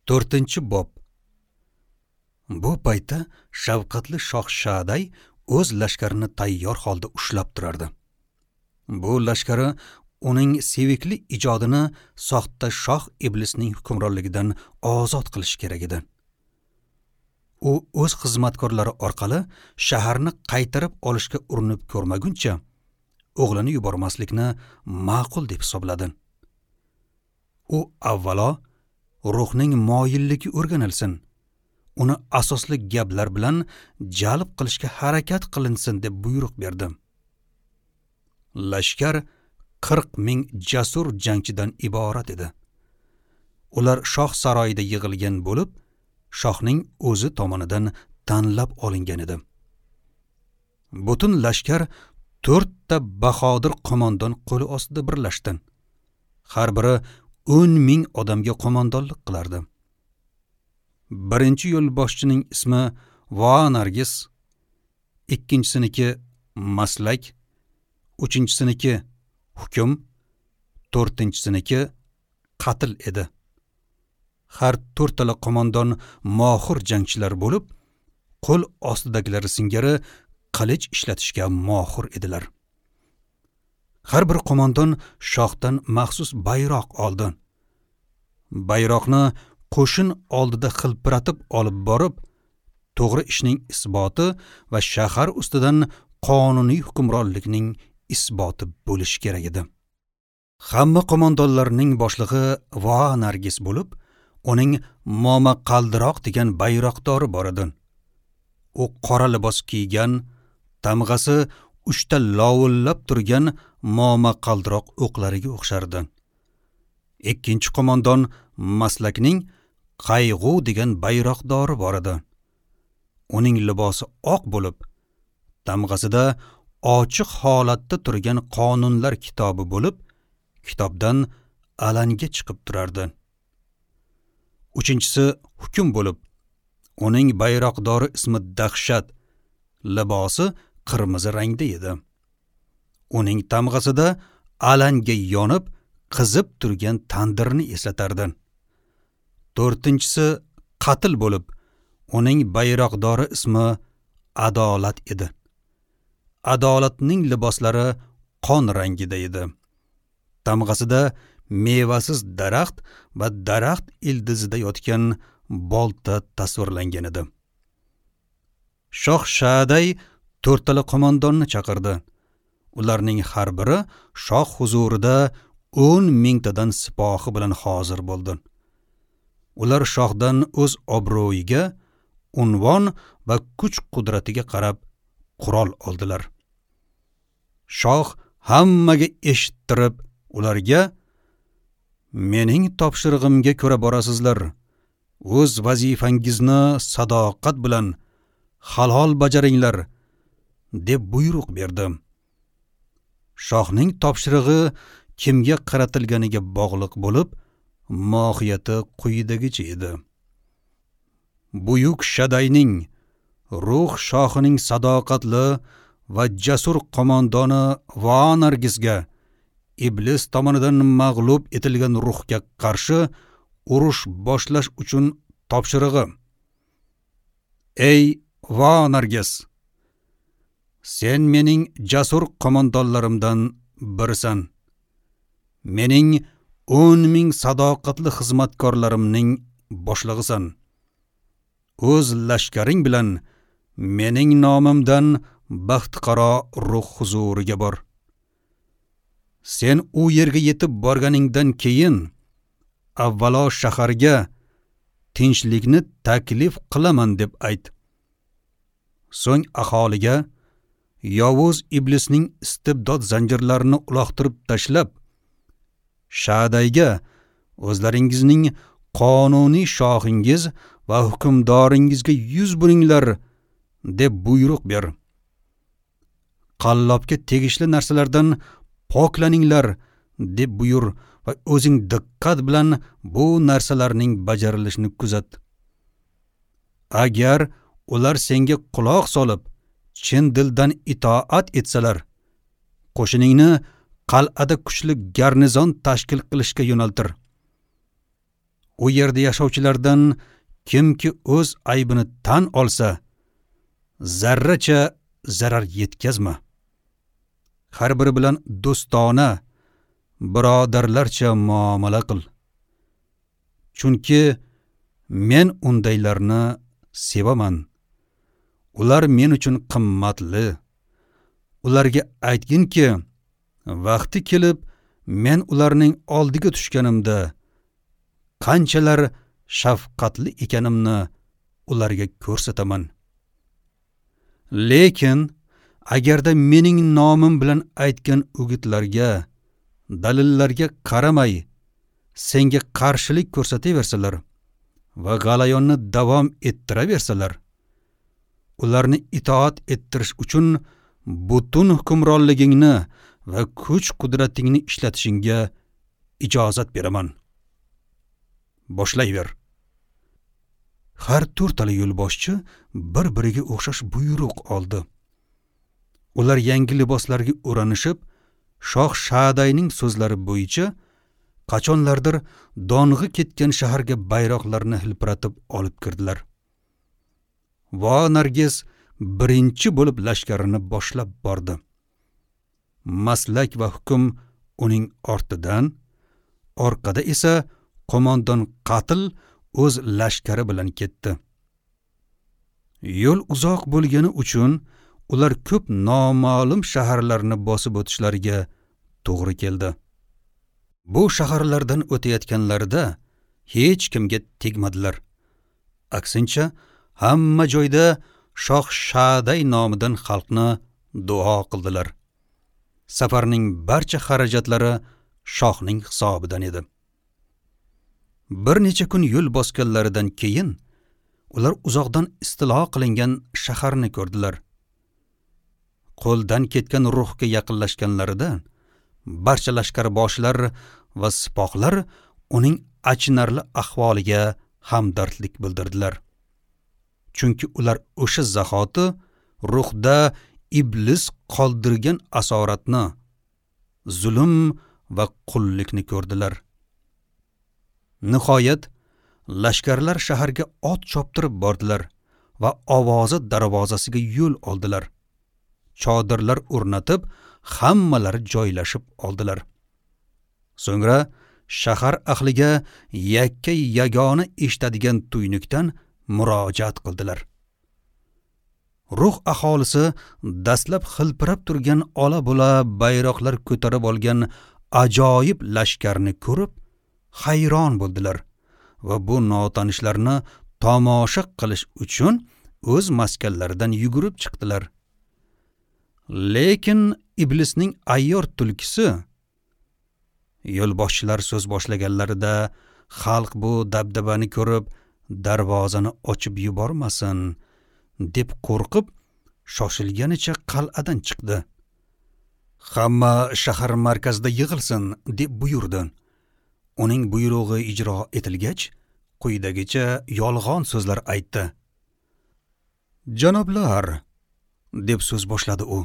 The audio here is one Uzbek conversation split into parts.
4-bob. Bu paytda shafqatli shoh Shaday o'z lashkarini tayyor holda ushlab turardi. Bu lashkari uning sevikli ijodini soxta shoh iblisning hukmronligidan ozod qilish kerak edi. U o'z xizmatkorlari orqali shaharni qaytarib olishga urinib ko'rmaguncha o'g'lini yubormaslikni ma'qul deb hisobladi. U avvalo ruhning moyilligi o'rganilsin, uni asosli gaplar bilan jalb qilishga harakat qilinsin deb buyruq berdi. Lashkar 40 ming jasur jangchidan iborat edi. Ular shoh saroyida yig'ilgan bo'lib, shohning o'zi tomonidan tanlab olingan edi. Butun lashkar 4 ta bahodir qo'mondon qo'li ostida birlashdi. Har biri 10 ming odamga qo'mondonlik qilardi. Birinchi yo'lboshchining ismi Voanargis, ikkinchisiniki Maslak, uchinchisiniki Hukm, to'rtinchisiniki Qatl edi. Har to'rttala qo'mondon mohir jangchilar bo'lib, qo'l ostidagilari singari qilich ishlatishga mohir edilar. Har bir qo'mondon shohdan maxsus bayroq oldi. Bayroqni qo'shin oldida xilpiratib olib borib, to'g'ri ishning isboti va shahar ustidan qonuniy hukmronlikning isboti bo'lishi kerak edi. Hamma qo'mondonlarning boshlig'i Voanargis bo'lib, uning Momaqaldiroq degan bayroqdori bor edi. U qora libos kiygan, tamg'asi 3 ta lovullab turgan momaqaldiroq o'qlariga o'xshardi. Ikkinchi qo'mondon Maslakning Qayg'u degan bayroqdori bor edi. Uning libosi oq bo'lib, tamg'asida ochiq holatda turgan qonunlar kitobi bo'lib, kitobdan alanga chiqib turardi. Uchinchisi Hukm bo'lib, uning bayroqdori ismi Dahshat, libosi qirmizi rangda edi. Uning tamg'asida alanga yonib, qizib turgan tandirni eslatardi. To'rtinchisi Qatl bo'lib, uning bayroqdori ismi Adolat edi. Adolatning liboslari qon rangida edi. Tamg'asida mevasiz daraxt va daraxt ildizida yotgan bolta tasvirlangan edi. Shoh Shaday to'rttala qo'mondonni chaqirdi. Ularning har biri shoh huzurida 10 mingtadan sipohi bilan hozir bo'ldi. Ular shohdan o'z obro'yiga, unvon va kuch-qudratiga qarab qurol oldilar. Shoh hammaga eshittirib, ularga: "Mening topshirig'imga ko'ra borasizlar. O'z vazifangizni sadoqat bilan halol bajaringlar" deb buyruq berdi. Shohning topshirig'i kimga qaratilganiga bog'liq bo'lib, mohiyati quyidagicha edi. Buyuk Shadayning, ruh shohining sadoqatli va jasur qo'mondoni Voanargisga iblis tomonidan mag'lub etilgan ruhga qarshi urush boshlash uchun topshirig'i. Ey Voanargis, sen mening jasur qo'mondonlarimdan birisan. Mening 10 ming sadoqatli xizmatkorlarimning boshlig'isan. O'z lashkaring bilan mening nomimdan baxtiqaro ruh huzuriga bor. Sen u yerga yetib borganingdan keyin avvalo shaharga tinchlikni taklif qilaman deb ayt. So'ng aholiga yovuz iblisning istibdod zanjirlarini uloqtirib tashlab, Shadayga o'zlaringizning qonuniy shohingiz va hukmdoringizga yuz buringlar deb buyruq ber. Qallobga tegishli narsalardan poklaninglar deb buyur va o'zing diqqat bilan bu narsalarning bajarilishini kuzat. Agar ular senga quloq solib, chin dildan itoat etsalar, qo'shiningni qal'ada kuchli garnizon tashkil qilishga yo'naltir. U yerda yashovchilardan kimki o'z aybini tan olsa, zarracha zarar yetkazma. Har biri bilan do'stona, birodarlarcha muomala qil. Chunki men undaylarni sevaman. Ular men uchun qimmatli. Ularga aytginki, vaqti kelib men ularning oldiga tushganimda qanchalar shafqatli ekanimni ularga ko'rsataman. Lekin agarda mening nomim bilan aytgan o'gitlarga, dalillarga qaramay senga qarshilik ko'rsataversalar va g'alayonni davom ettiraversalar, ularni itoat ettirish uchun butun hukmronligingni va kuch-qudratingni ishlatishingga ijozat beraman. Boshlayver. Har to'rtala yo'lboshchi bir-biriga o'xshash buyruq oldi. Ular yangi liboslarga o'ranishib, Shoh Shadayning so'zlari bo'yicha qachonlardir dong'i ketgan shaharga bayroqlarni hilpiratib olib kirdilar. Va Nargiz birinchi bo'lib lashkarini boshlab bordi. Maslak va hukm uning ortidan, orqada esa qo'mondon Qatl o'z lashkari bilan ketdi. Yo'l uzoq bo'lgani uchun ular ko'p noma'lum shaharlarni bosib o'tishlariga to'g'ri keldi. Bu shaharlardan o'tayotganlarida hech kimga tegmadilar. Aksincha, hamma joyda Shoh Shaday nomidan xalqni duo qildilar. Safarning barcha xarajatlari shohning hisobidan edi. Bir necha kun yo'l bosganlaridan keyin ular uzoqdan istilo qilingan shaharni ko'rdilar. Qo'ldan ketgan ruhga yaqinlashganlarida barcha lashkarboshilar va sipohlar uning achinarli ahvoliga hamdardlik bildirdilar. Chunki ular o'sha zahoti ruhda iblis qoldirgan asoratni, zulm va qullikni ko'rdilar. Nihoyat lashkarlar shaharga ot choptirib bordilar va ovozi darvozasiga yo'l oldilar. Chodirlar o'rnatib, hammalari joylashib oldilar. So'ngra shahar ahliga yakka yagona eshitadigan tuynukdan murojaat qildilar. Ruh aholisi dastlab xilpirab turgan ola-bula bayroqlar ko'tarib olgan ajoyib lashkarni ko'rib hayron bo'ldilar va bu notanishlarni tomosha qilish uchun o'z maskanlaridan yugurib chiqdilar. Lekin iblisning ayyor tulkisi yo'lboshchilar so'z boshlaganlarida xalq bu dabdabani ko'rib darvozani ochib yubormasin deb qo'rqib shoshilganicha qal'adan chiqdi. Hamma shahar markazida yig'ilsin deb buyurdi. Uning buyrug'i ijro etilgach, quyidagicha yolg'on so'zlar aytdi. Janoblar, deb so'z boshladi u.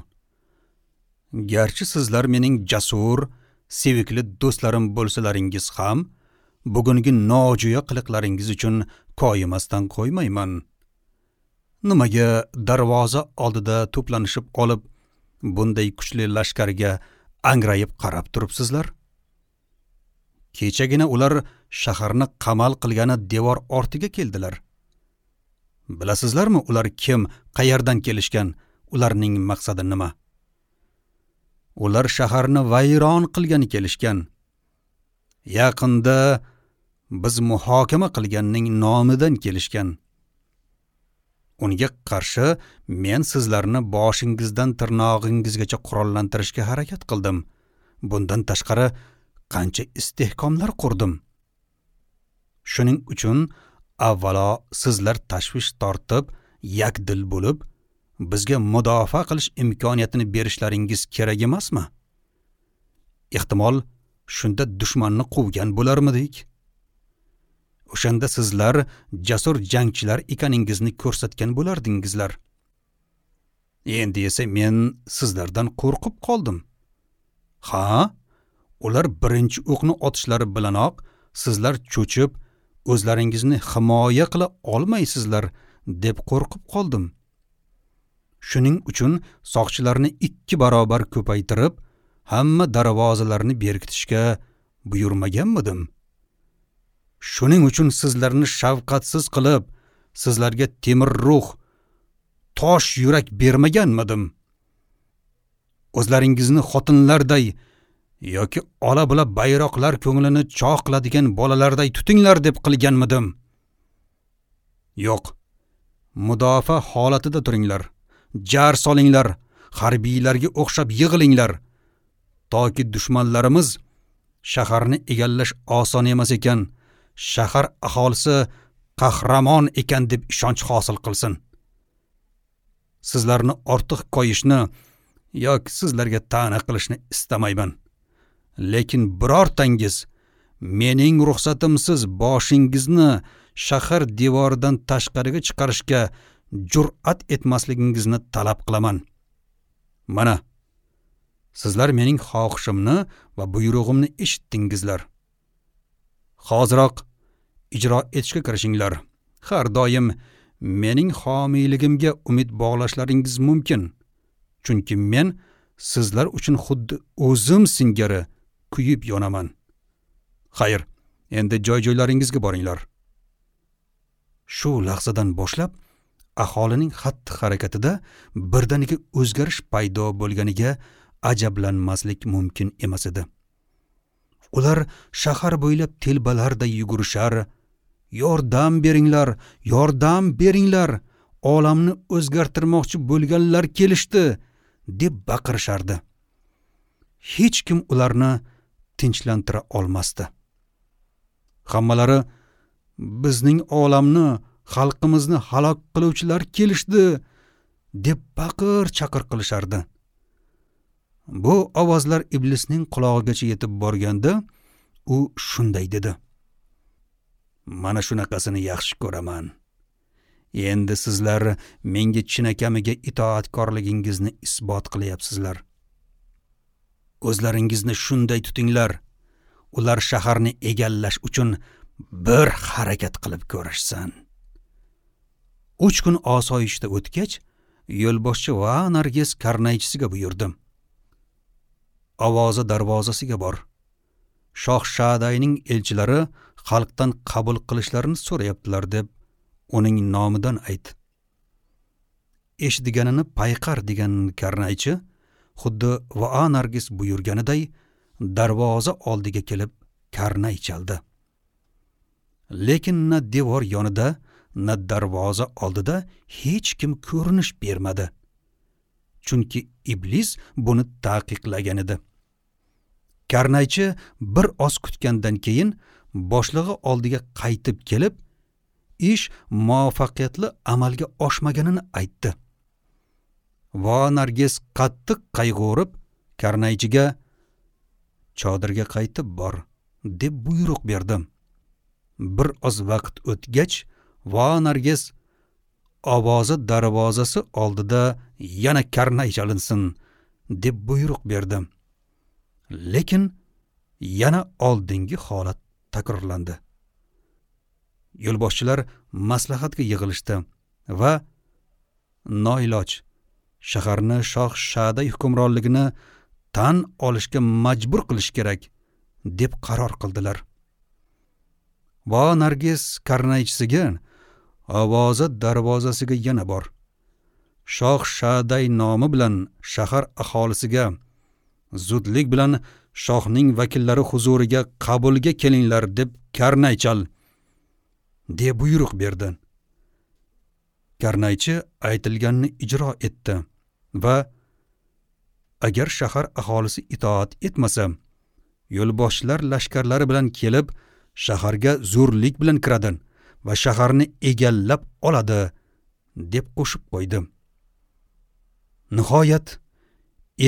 Garchi sizlar mening jasur, sevikli do'stlarim bo'lsalaringiz ham, bugungi nojo'ya qiliqlaringiz uchun koyimasdan qo'ymayman. Nimaga darvoza oldida to'planishib olib, bunday kuchli lashkarga angrayib qarab turibsizlar? Kechagina ular shaharni qamal qilgani devor ortiga keldilar. Bilasizlarmi ular kim, qayerdan kelishgan, ularning maqsadi nima? Ular shaharni vayron qilgani kelishgan. Yaqinda biz muhokama qilganning nomidan kelishgan. Unga qarshi men sizlarni boshingizdan tirnog'ingizgacha qurollantirishga harakat qildim. Bundan tashqari qancha istehkomlar qurdim. Shuning uchun avvalo sizlar tashvish tortib, yakdil bo'lib, bizga mudofaa qilish imkoniyatini berishlaringiz kerak emasmi? Ehtimol shunda dushmanni quvgan bo'larmidik? O'shanda sizlar jasur jangchilar ekaningizni ko'rsatgan bo'lardingizlar. Endi esa men sizlardan qo'rqib qoldim. Ha, ular birinchi o'qni otishlari bilanoq sizlar cho'chib, o'zlaringizni himoya qila olmaysizlar deb qo'rqib qoldim. Shuning uchun soqchilarni 2 barobar ko'paytirib, hamma darvozalarni berkitishga buyurmaganmidim? Shuning uchun sizlarni shafqatsiz qilib, sizlarga temir ruh, tosh yurak bermaganmidim? O'zlaringizni xotinlarday yoki ola-bula bayroqlar ko'nglini chog' qiladigan bolalarday tutinglar deb qilganmidim? Yo'q. Mudofaa holatida turinglar. Jar solinglar, harbiylarga o'xshab yig'ilinglar. Toki dushmanlarimiz shaharni egallash oson emas ekan, shahar aholisi qahramon ekan deb ishonch hosil qilsin. Sizlarni ortiq koyishni yoki sizlarga ta'na qilishni istamayman. Lekin birortangiz mening ruxsatimsiz boshingizni shahar devoridan tashqariga chiqarishga jur'at etmasligingizni talab qilaman. Mana, sizlar mening xohishimni va buyrug'imni eshitdingizlar. Hoziroq ijro etishga kirishinglar. Har doim mening homiyligimga umid bog'lashlaringiz mumkin. Chunki men sizlar uchun xuddi o'zim singari kuyib yonaman. Xayr, endi joy-joylaringizga boringlar. Shu lahzadan boshlab aholining xatti-harakatida birdaniga o'zgarish paydo bo'lganiga ajablanmaslik mumkin emas edi. Ular shahar bo'ylab telbalarday yugurishar, "Yordam beringlar, yordam beringlar, olamni o'zgartirmoqchi bo'lganlar kelishdi" deb baqirishardi. Hech kim ularni tinchlantira olmasdi. Hammalari bizning olamni, xalqimizni halok qiluvchilar kelishdi deb baqir-chaqir qilishardi. Bu ovozlar iblisning qulog'igacha yetib borganda u shunday dedi: "Mana shunaqasini yaxshi ko'raman. Endi sizlar menga chinakamiga itoatkorligingizni isbot qilyapsizlar. O'zlaringizni shunday tutinglar. Ular shaharni egallash uchun bir harakat qilib ko'rishsin." 3 kun osoyishta o'tgach, yo'lboshchi va Nargis karnaychisiga buyurdi: "Ovozi darvozasiga bor. Shoh Shadayning elchilari xalqdan qabul qilishlarini so'rayaptilar deb uning nomidan ayt." Eshitganini payqar degan karnaychi xuddi va Nargis buyurganiday darvoza oldiga kelib karnay chaldi. Lekin na devor yonida, na darvoza oldida hech kim ko'rinish bermadi. Chunki iblis buni taqiqlagan edi. Karnaychi bir oz kutgandan keyin boshlig'i oldiga qaytib kelib, ish muvaffaqiyatli amalga oshmaganini aytdi. Va Nargis qattiq qayg'urib karnaychiga "Chodirga qaytib bor" deb buyruq berdi. Bir oz vaqt o'tgach, va Nargis ovozi darvozasi oldida yana karnay chalinsin deb buyruq berdi. Lekin yana oldingi holat takrorlandi. Yo'lboshchilar maslahatga yig'ilishdi va noiloj shaharni Shoh Shaday hukmronligini tan olishga majbur qilish kerak deb qaror qildilar. Va Nargis karnaychisiga ovozi darvozasiga yana bor. Shoh Shaday nomi bilan shahar aholisiga zudlik bilan shohning vakillari huzuriga qabulga kelinglar deb karnay chal deb buyruq berdi. Karnaychi aytilganini ijro etdi va agar shahar aholisi itoat etmasa, yo'lboshchilar lashkarlari bilan kelib shaharga zo'rlik bilan kiradi va shaharni egallab oladi deb qo'shib qo'ydi. Nihoyat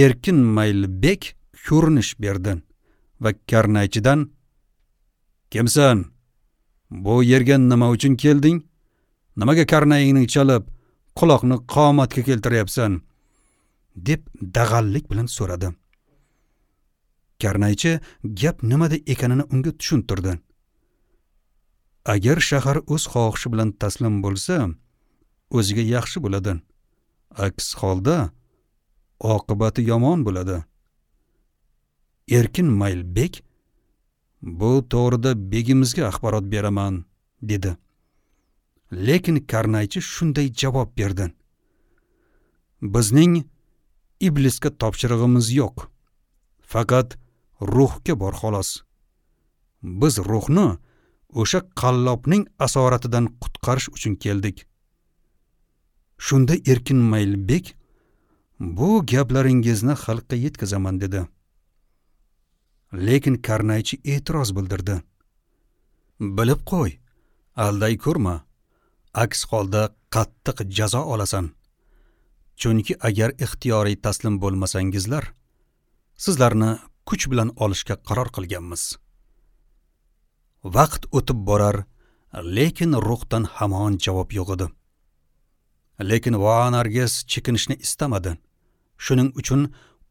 Erkin Maylbek ko'rinish berdi va karnaychidan "Kimsan? Bu yerga nima uchun kelding? Nimaga karnayingni chalib, quloqni qomatga keltiryapsan?" deb dag'allik bilan so'radi. Karnaychi gap nimada ekanini unga tushuntirdi. Agar shahar o'z xohishi bilan taslim bo'lsa, o'ziga yaxshi bo'ladi. Aks holda oqibati yomon bo'ladi. Erkin Maylbek bu to'g'rida begimizga axborot beraman, dedi. Lekin karnaychi shunday javob berdi: Bizning iblisga topshirig'imiz yo'q. Faqat ruhga bor xolos. Biz ruhni o'sha qallobning asoratidan qutqarish uchun keldik. Shunda Erkin Maylbek bu gaplaringizni xalqqa yetkazaman, dedi. Lekin karnaychi e'tiroz bildirdi. Bilib qo'y, alday ko'rma. Aks holda qattiq jazo olasan. Chunki agar ixtiyoriy taslim bo'lmasangizlar, sizlarni kuch bilan olishga qaror qilganmiz. Vaqt o'tib borar, lekin ruhdan hamon javob yo'q edi. Lekin Voanarges chekinishni istamadi. Shuning uchun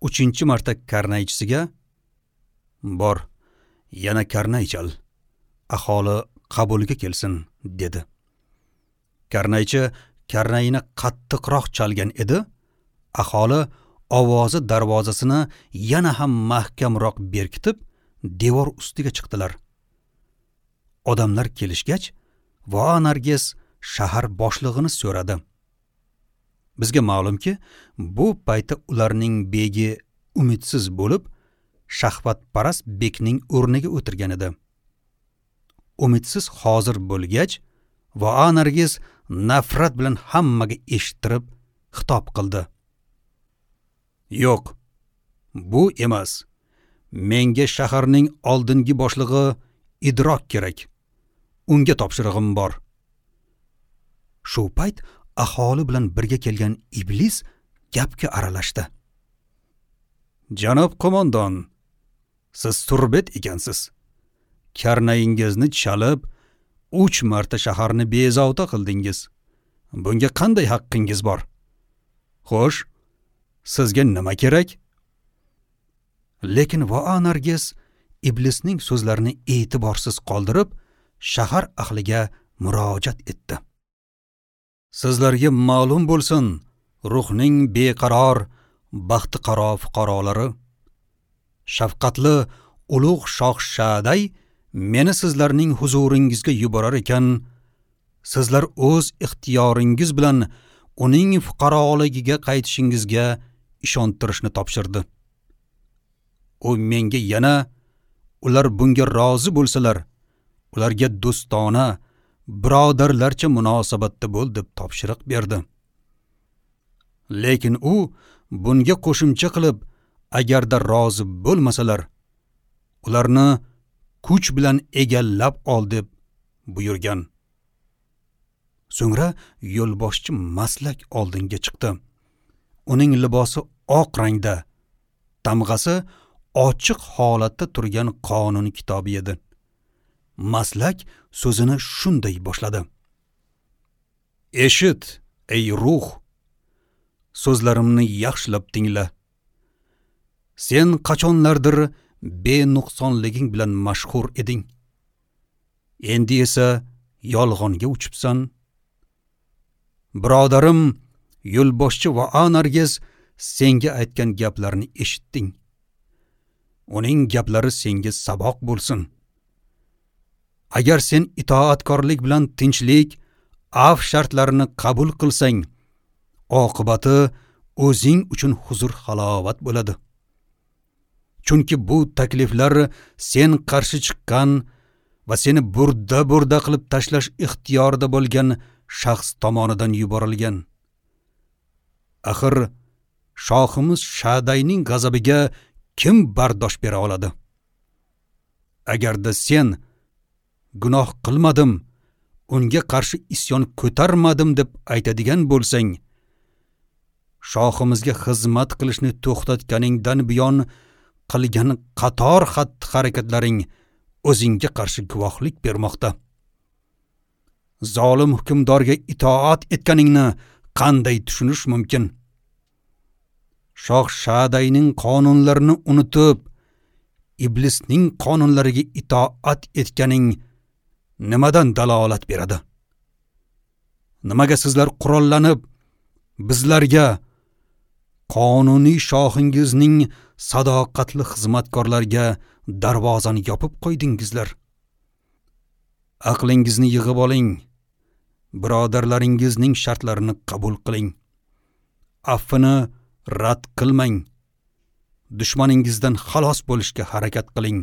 3-marta karnaychisiga: "Bor, yana karnay chal, aholi qabulga kelsin", dedi. Karnaychi karnayini qattiqroq chalgan edi. Aholi ovozi darvozasini yana ham mahkamroq berkitib, devor ustiga chiqdilar. Odamlar kelishgach, Voanarges shahar boshlig'ini so'radi. Bizga ma'lumki, bu paytda ularning begi umidsiz bo'lib, shahvatparast bekning o'rniga o'tirgan edi. Umidsiz hozir bo'lgach, Voanarges nafrat bilan hammaga eshittirib xitob qildi. Yo'q, bu emas. Menga shaharning oldingi boshlig'i Idrok kerak. Unga topshirig'im bor. Shu payt aholi bilan birga kelgan iblis gapga aralashdi. Janob qo'mondon, siz surbet ekansiz. Karnayingizni chalib, 3 marta shaharni bezovta qildingiz. Bunga qanday haqqingiz bor? Xo'sh, sizga nima kerak? Lekin Voanarges iblisning so'zlarini e'tiborsiz qoldirib, shahar ahliga murojaat etdi. Sizlarga ma'lum bo'lsin, ruhning beqaror, baxtiqaro fuqarolari, shafqatli ulug' shoh Shaday meni sizlarning huzuringizga yuborar ekan, sizlar o'z ixtiyoringiz bilan uning fuqaroligiga qaytishingizga ishontirishni topshirdi. U menga yana ular bunga rozi bo'lsalar, ularga do'stona, birodarlarcha munosabatda bo'l deb topshiriq berdi. Lekin u bunga qo'shimcha qilib, agarda rozi bo'lmasalar, ularni kuch bilan egallab ol deb buyurgan. So'ngra yo'lboshchi maslak oldinga chiqdi. Uning libosi oq rangda, tamg'asi ochiq holatda turgan qonun kitobi edi. Maslak so'zini shunday boshladi: Eshit, ey ruh, so'zlarimni yaxshilab tingla. Sen qachonlardir benuqsonliging bilan mashhur eding. Endi esa yolg'onga uchibsan. Birodarim, yo'lboshchi Voanarges senga aytgan gaplarni eshitding. Uning gaplari senga saboq bo'lsin. Agar sen itoatkorlik bilan tinchlik, af shartlarini qabul qilsang, oqibati o'zing uchun huzur halovat bo'ladi. Chunki bu takliflar sen qarshi chiqqan va seni burda-burda qilib tashlash ixtiyorida bo'lgan shaxs tomonidan yuborilgan. Axir shohimiz Shadayning g'azabiga kim bardosh bera oladi? Agarda sen gunoh qilmadim, unga qarshi isyon ko'tarmadim deb aytadigan bo'lsang, shohimizga xizmat qilishni to'xtatganingdan buyon qilgan qator xatti-harakatlaring o'zingga qarshi guvohlik bermoqda. Zolim hukmdorga itoat etganingni qanday tushunish mumkin? Shoh Shadayning qonunlarini unutib, iblisning qonunlariga itoat etganing nimadan dalolat beradi? Nimaga sizlar qurollanib bizlarga, qonuniy shohingizning sadoqatli xizmatkorlariga darvozani yopib qo'ydingizlar? Aqlingizni yig'ib oling, birodarlaringizning shartlarini qabul qiling. Afvini rad qilmang. Dushmaningizdan xalos bo'lishga harakat qiling.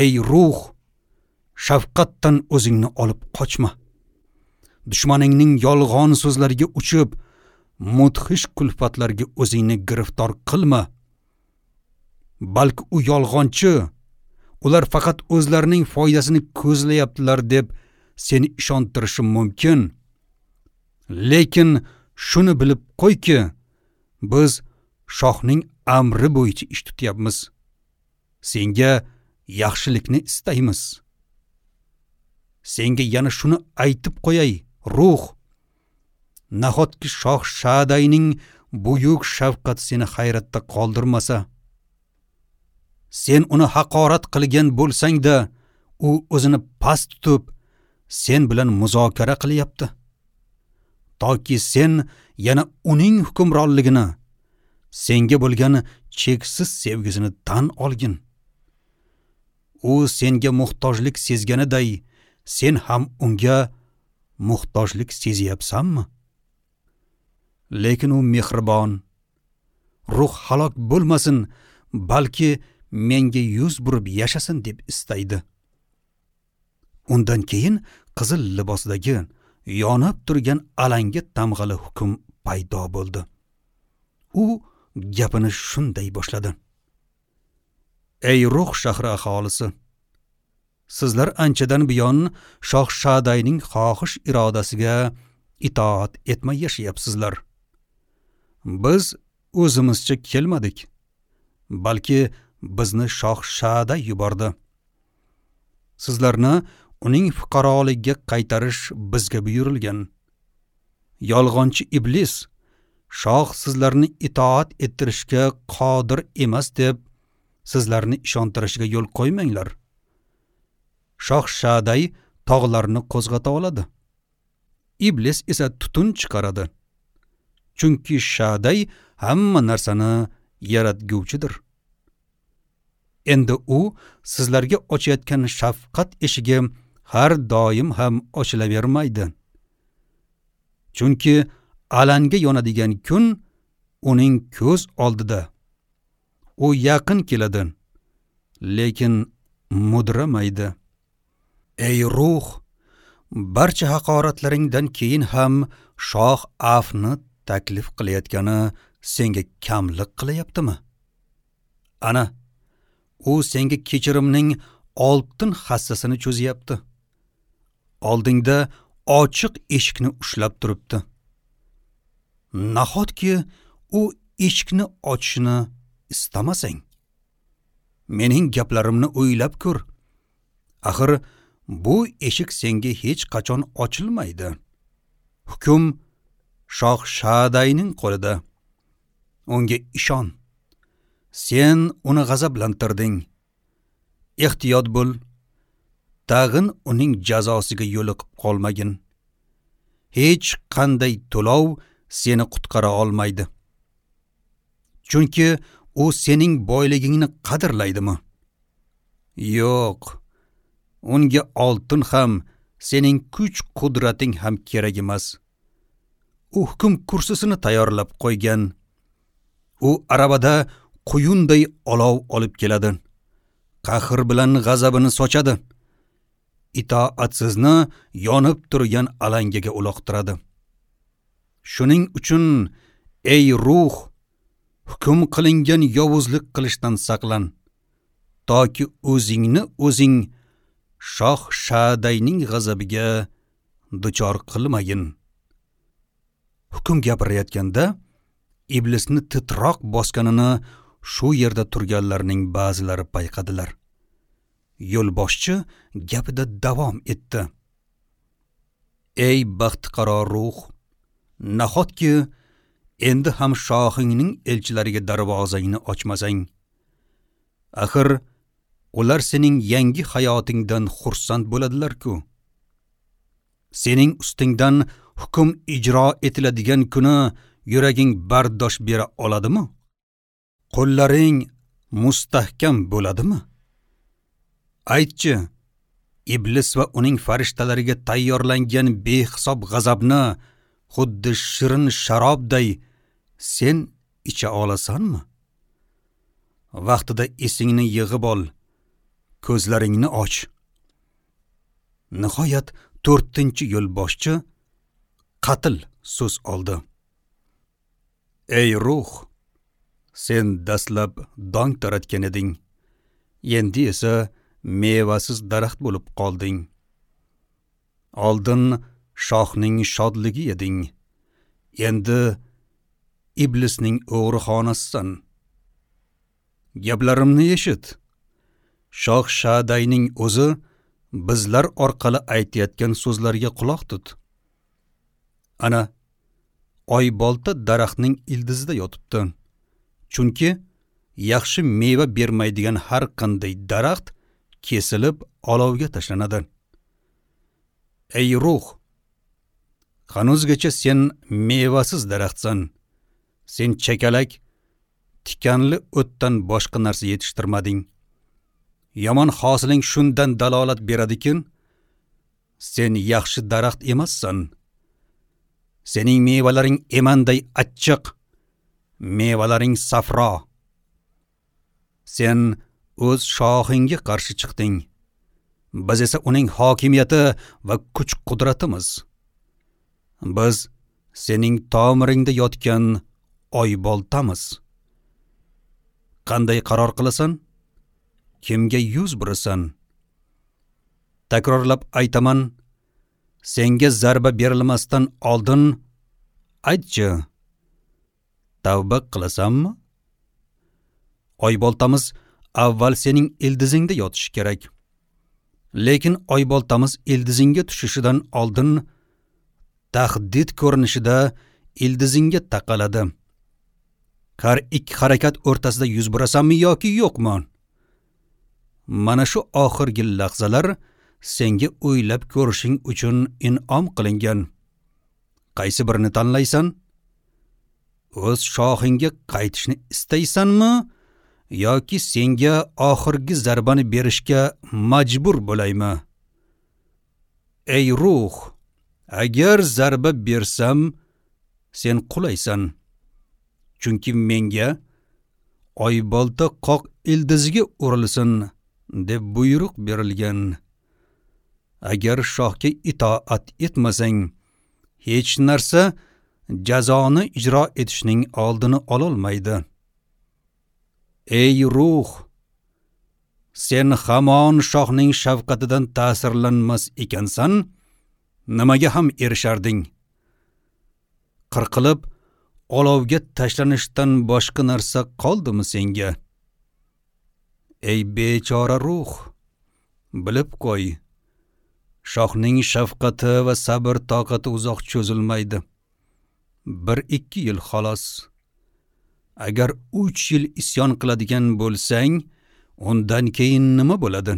Ey ruh, shafqatdan o'zingni olib qochma. Dushmaningning yolg'on so'zlariga uchib, mudhish kulfatlarga o'zingni giriftor qilma. Balki u yolg'onchi, ular faqat o'zlarining foydasini ko'zlayaptilar deb seni ishontirishi mumkin. Lekin shuni bilib qo'yki, biz shohning amri bo'yicha ish tutyapmiz. Senga yaxshilikni istaymiz. Senga yana shuni aytib qo'yay, ruh. Nahotki shoh Shadayning buyuk shafqati seni hayratda qoldirmasa? Sen uni haqorat qilgan bo'lsang-da, u o'zini past tutib, sen bilan muzokara qilyapti. Toki sen yana uning hukmronligini, senga bo'lgan cheksiz sevgisini tan olgin. U senga muhtojlik sezganiday, sen ham unga muhtojlik sezyapsanmi? Lekin u mehribon, ruh halok bo'lmasin, balki menga yuz burib yashasin deb istaydi. Undan keyin qizil libosidagi yonib turgan alanga tamg'ali hukm paydo bo'ldi. U gapini shunday boshladi: Ey ruh shahri aholisi, sizlar anchadan buyon shoh Shadayning xohish irodasiga itoat etmay yashayapsizlar. Biz o'zimizcha kelmadik, balki bizni shoh Shaday yubordi. Sizlarni uning fuqaroligiga qaytarish bizga buyurilgan. Yolg'onchi iblis shoh sizlarni itoat ettirishga qodir emas deb sizlarni ishontirishiga yo'l qo'ymanglar. Shoh Shaday tog'larni qo'zg'ata oladi. Iblis esa tutun chiqaradi. Chunki Shaday hamma narsani yaratguvchidir. Endi u sizlarga ochayotgan shafqat eshigi har doim ham ochilavermaydi. Chunki alanga yonadigan kun uning ko'z oldida. U yaqin keladi, lekin mudramaydi. Ey ruh, barcha haqoratlaringdan keyin ham shoh afni taklif qilayotgani senga kamlik qilyaptimi? Ana, u senga kechirimning oltin hassasini cho'zyapti. Oldingda ochiq eshikni ushlab turibdi. Nahotki u eshikni ochishni istamasang? Mening gaplarimni o'ylab ko'r. Axir bu eshik senga hech qachon ochilmaydi. Hukm shoh Shadayning qo'lida. Unga ishon. Sen uni g'azablantirding. Ehtiyot bo'l. Tag'in uning jazosiga yo'liqib qolmagin. Hech qanday to'lov seni qutqara olmaydi. Chunki u sening boyligingni qadrlaydimi? Yo'q. Unga oltin ham, sening kuch-qudrating ham kerak emas. U hukm kursisini tayyorlab qo'ygan. U arabada quyunday olov olib keladi. Qahr bilan g'azabini sochadi. Itoatsizni yonib turgan alangaga uloqtiradi. Shuning uchun ey ruh, hukm qilingan yovuzlik qilishdan saqlan, toki o'zingni o'zing shoh Shadayning g'azabiga duchor qilmagin. Hukm gapirayotganda iblisni titroq bosganini shu yerda turganlarning ba'zilari payqadilar. Yo'lboshchi gapida davom etdi. Ey baxtiqaro ruh, nahotki endi ham shohingning elchilariga darvozangni ochmasang? Axir Ular sening yangi hayotingdan xursand bo'ladilar-ku. Sening ustingdan hukm ijro etiladigan kuni yuraging bardosh bera oladimi? Qo'llaring mustahkam bo'ladimi? Aytchi, iblis va uning farishtalariga tayyorlangan behisob g'azabni xuddi shirin sharobday sen icha olasanmi? Vaqtida esingni yig'ib ol, ko'zlaringni och. Nihoyat 4-chi yo'lboshchi qatl so'z oldi. Ey ruh, sen dastlab dong taratgan eding. Endi esa mevasiz daraxt bo'lib qolding. Oldin shohning shodligi eding. Endi iblisning o'g'rixonasisan. Gaplarimni eshit. Shoh Shadayning o'zi bizlar orqali aytayotgan so'zlarga quloq tut. Ana oybolta daraxtning ildizida yotibdi. Chunki yaxshi meva bermaydigan har qanday daraxt kesilib olovga tashlanadi. Ey ruh, hanuzgacha sen mevasiz daraxtsan. Sen chakalak, tikanli o'tdan boshqa narsa yetishtirmading. Yomon hosiling shundan dalolat beradikin, sen yaxshi daraxt emassan. Sening mevalaring emanday achchiq, mevalaring safro. Sen o'z shohingga qarshi chiqding. Biz esa uning hokimiyati va kuch-qudratimiz. Biz sening tomiringda yotgan oyboltamiz. Qanday qaror qilasan? Kimga yuz burasan? Takrorlab aytaman, senga zarba berilmasdan oldin aytchi, tavba qilasanmi? Oyboltamiz avval sening ildizingda yotishi kerak. Lekin oyboltamiz ildizingga tushishidan oldin tahdid ko'rinishida ildizingga taqaladi. Har ikki harakat o'rtasida yuz burasanmi yoki yo'qmi? Mana shu oxirgi lahzalar senga o'ylab ko'rishing uchun in'om qilingan. Qaysi birini tanlaysan? O'z shohingga qaytishni istaysanmi yoki senga oxirgi zarbani berishga majbur bo'laymi? Ey ruh, agar zarba bersam, sen qulaysan. Chunki menga oybolta qoq ildiziga urilsin deb buyruq berilgan. Agar shohga itoat etmasang, hech narsa jazoni ijro etishning oldini ololmaydi. Ey ruh, sen hamon shohning shafqatidan ta'sirlanmas ekansan, nimaga ham erisharding? Qirqilib olovga tashlanishdan boshqa narsa qoldimi senga? Ey bechora ruh, bilib qo'y, shohning shafqati va sabr toqati uzoq cho'zilmaydi. 1-2 yil xolos. Agar 3 yil isyon qiladigan bo'lsang, undan keyin nima bo'ladi?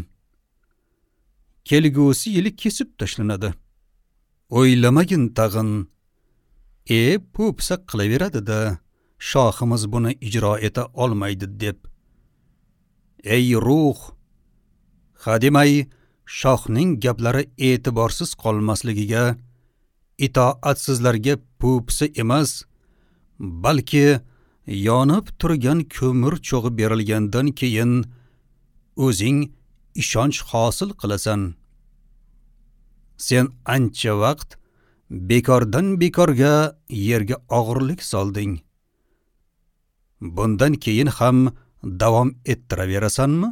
Kelgusi yili kesib tashlanadi. O'ylamagin tag'in. Po'pisa qilaveradi-da, shohimiz buni ijro eta olmaydi deb. Ey ruh, hademay shohning gaplari e'tiborsiz qolmasligiga, itoatsizlarga po'pisa emas, balki yonib turgan ko'mir cho'g'i berilgandan keyin o'zing ishonch hosil qilasan. Sen ancha vaqt bekordan bekorga yerga og'irlik solding. Bundan keyin ham davom ettiraverasanmi?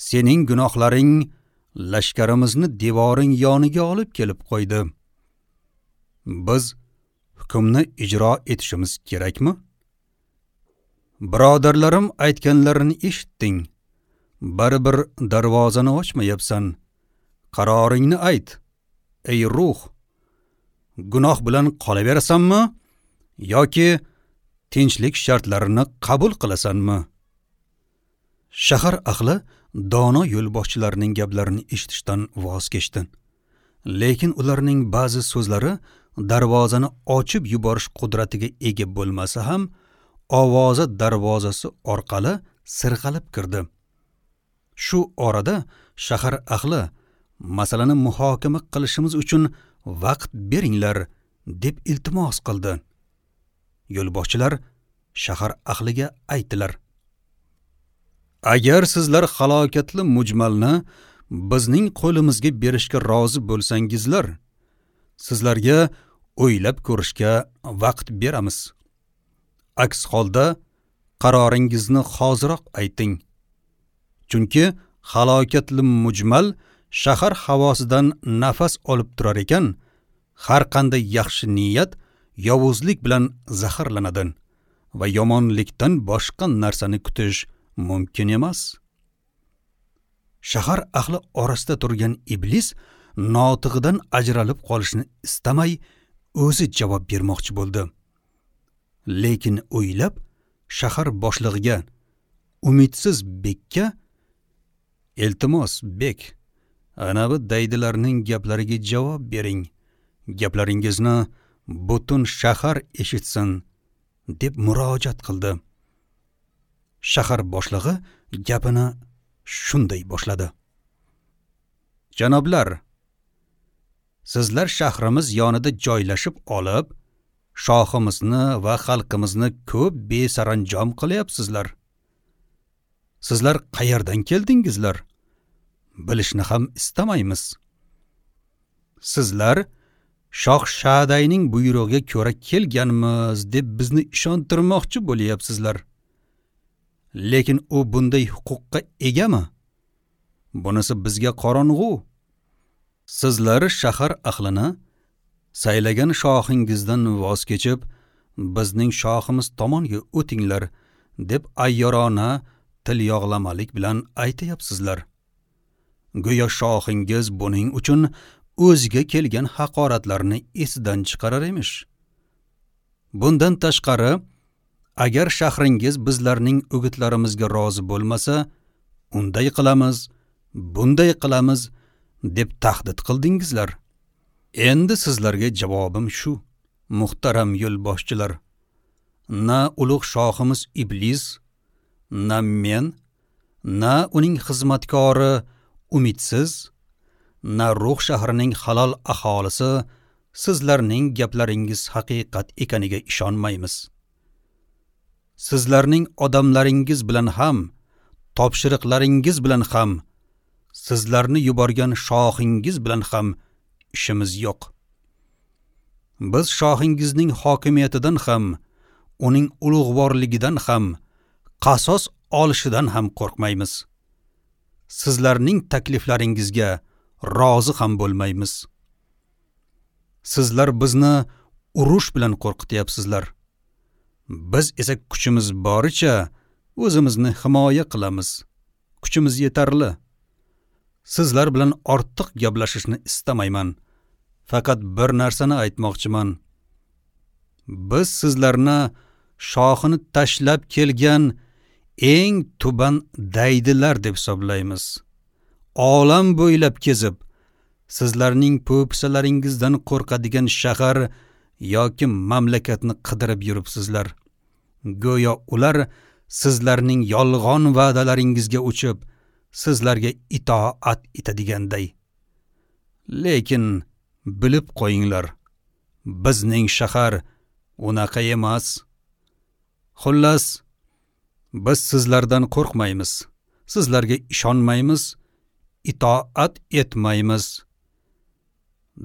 Sening gunohlaring lashkarimizni devoring yoniga olib kelib qo'ydi. Biz hukmni ijro etishimiz kerakmi? Birodarlarim aytganlarini eshitding. Baribir darvozani ochmayapsan. Qaroringni ayt. Ey ruh, gunoh bilan qolaverasanmi yoki tinchlik shartlarini qabul qilasanmi? Shahar ahli dono yo'lboshchilarning gaplarini eshitishdan voz kechdi. Lekin ularning ba'zi so'zlari darvozani ochib yuborish qudratiga ega bo'lmasa ham, ovozi darvozasi orqali sirg'alib kirdi. Shu orada shahar ahli masalani muhokama qilishimiz uchun vaqt beringlar deb iltimos qildi. Yo'lboshchilar shahar ahliga aytdilar: Agar sizlar halokatli mujmalni bizning qo'limizga berishga rozi bo'lsangizlar, sizlarga o'ylab ko'rishga vaqt beramiz. Aks holda qaroringizni hoziroq ayting. Chunki halokatli mujmal shahar havosidan nafas olib turar ekan, har qanday yaxshi niyat yovuzlik bilan zaharlanadi va yomonlikdan boshqa narsani kutish mumkin emas. Shahar ahli orasida turgan iblis notig'idan ajralib qolishni istamay o'zi javob bermoqchi bo'ldi. Lekin o'ylab shahar boshlig'iga, umidsiz bekka: "Iltimos, bek, anavi daydilarning gaplariga javob bering. Gaplaringizni butun shahar eshitsin", deb murojaat qildi. Shahar boshlig'i gapini shunday boshladi: "Janoblar, sizlar shahrimiz yonida joylashib olib, shohimizni va xalqimizni ko'p besaranjom qilyapsizlar. Sizlar qayerdan keldingizlar? Bilishni ham istamaymiz. Sizlar Shoh Shadayning buyrug'iga ko'ra kelganmiz deb bizni ishontirmoqchi bo'lyapsizlar. Lekin u bunday huquqqa egami? Bunisi bizga qorong'u. Sizlar shahar ahlini saylagan shohingizdan voz kechib, bizning shohimiz tomonga o'tinglar deb ayyorona til yog'lamalik bilan aytayapsizlar. Go'yo shohingiz buning uchun o'ziga kelgan haqoratlarni esidan chiqarar emish. Bundan tashqari, agar shahringiz bizlarning o'gitlarimizga rozi bo'lmasa, unday qilamiz, bunday qilamiz deb tahdid qildingizlar. Endi sizlarga javobim shu, muhtaram yo'lboshchilar. Na ulug' shohimiz iblis, na men, na uning xizmatkori umidsiz, na Ruh shahrining halol aholisi sizlarning gaplaringiz haqiqat ekaniga ishonmaymiz. Sizlarning odamlaringiz bilan ham, topshiriqlaringiz bilan ham, sizlarni yuborgan shohingiz bilan ham ishimiz yo'q. Biz shohingizning hokimiyatidan ham, uning ulug'vorligidan ham, qasos olishidan ham qo'rqmaymiz. Sizlarning takliflaringizga rozi ham bo'lmaymiz. Sizlar bizni urush bilan qo'rqityapsizlar. Biz esa kuchimiz boricha o'zimizni himoya qilamiz. Kuchimiz yetarli. Sizlar bilan ortiq gaplashishni istamayman. Faqat bir narsani aytmoqchiman. Biz sizlarni shohini tashlab kelgan eng tuban daydilar deb hisoblaymiz. Olam bo'ylab kezib, sizlarning po'pisalaringizdan qo'rqadigan shahar yoki mamlakatni qidirib yuribsizlar. Go'yo ular sizlarning yolg'on va'dalaringizga uchib, sizlarga itoat etadiganday. Lekin bilib qo'yinglar, bizning shahar unaqa emas. Xullas, biz sizlardan qo'rqmaymiz, sizlarga ishonmaymiz, itoat etmaymiz.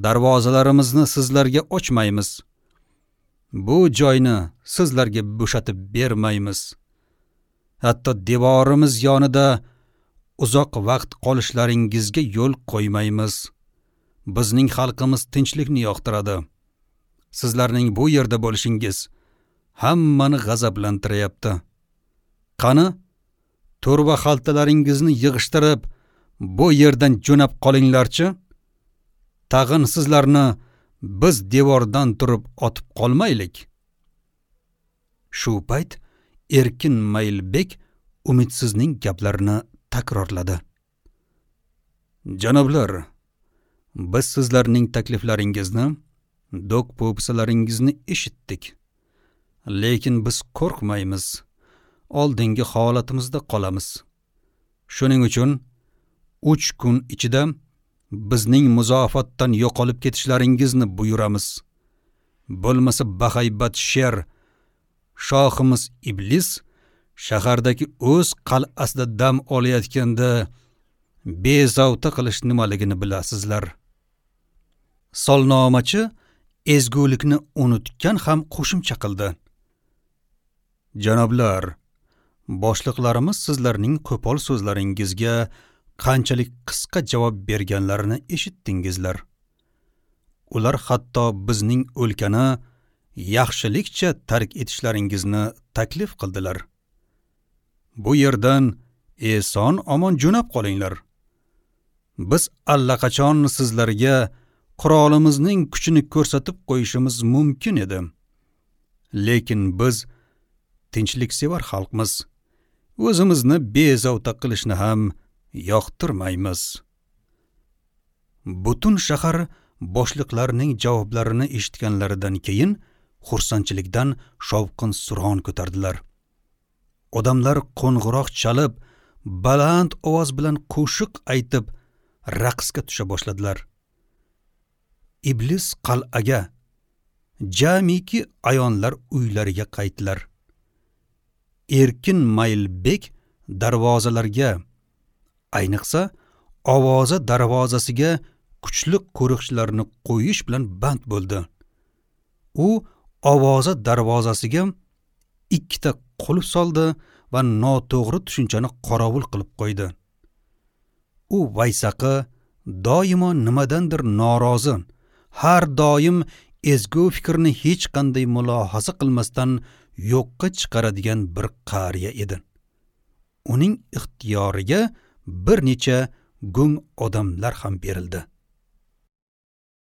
Darvozalarimizni sizlarga ochmaymiz. Bu joyni sizlarga bo'shatib bermaymiz. Hatto devorimiz yonida uzoq vaqt qolishlaringizga yo'l qo'ymaymiz. Bizning xalqimiz tinchlikni yoqtiradi. Sizlarning bu yerda bo'lishingiz hammani g'azablantiryapti. Qani, to'rva xaltalaringizni yig'ishtirib, bu yerdan jo'nab qolinglarchi. Tag'in sizlarni biz devordan turib otib qolmaylik. Shu payt Erkin Maylbek umidsizning gaplarini takrorladi. Janoblar, biz sizlarning takliflaringizni, do'q-po'pisalaringizni eshitdik. Lekin biz qo'rqmaymiz. Oldingi holatimizda qolamiz. Shuning uchun 3 kun ichida bizning muzofatdan yo'qolib ketishlaringizni buyuramiz. Bo'lmasa bahaybat sher, shohimiz iblis shahardagi o'z qal'asida dam olayotganda bezovta qilish nimaligini bilasizlar. Solnomachi ezgulikni unutgan ham qo'shimcha qildi. Janoblar, boshliqlarimiz sizlarning qo'pol so'zlaringizga qanchalik qisqa javob berganlarini eshitdingizlar. Ular hatto bizning o'lkani yaxshilikcha tark etishlaringizni taklif qildilar. Bu yerdan eson omon jo'nab qolinglar. Biz allaqachon sizlarga qurolimizning kuchini ko'rsatib qo'yishimiz mumkin edi. Lekin biz tinchliksevar xalqmiz. O'zimizni bezovta qilishni ham yoqtirmaymiz. Butun shahar boshliqlarning javoblarini eshitganlaridan keyin xursandchilikdan shovqin-suron ko'tardilar. Odamlar qo'ng'iroq chalib, baland ovoz bilan qo'shiq aytib, raqsga tusha boshladilar. Iblis qal'aga, jamiki ayonlar uylariga qaytdilar. Erkin Maylbek darvozalarga, ayniqsa ovoza darvozasiga kuchli qo'riqchilarni qo'yish bilan band bo'ldi. U ovoza darvozasiga 2 ta qulf soldi va noto'g'ri tushunchani qorovul qilib qo'ydi. U vaysaqi doimo nimadandir norozi, har doim ezgu fikrni hech qanday mulohaza qilmasdan yo'qqa chiqaradigan bir qariya edi. Uning ixtiyoriga bir necha gung odamlar ham berildi.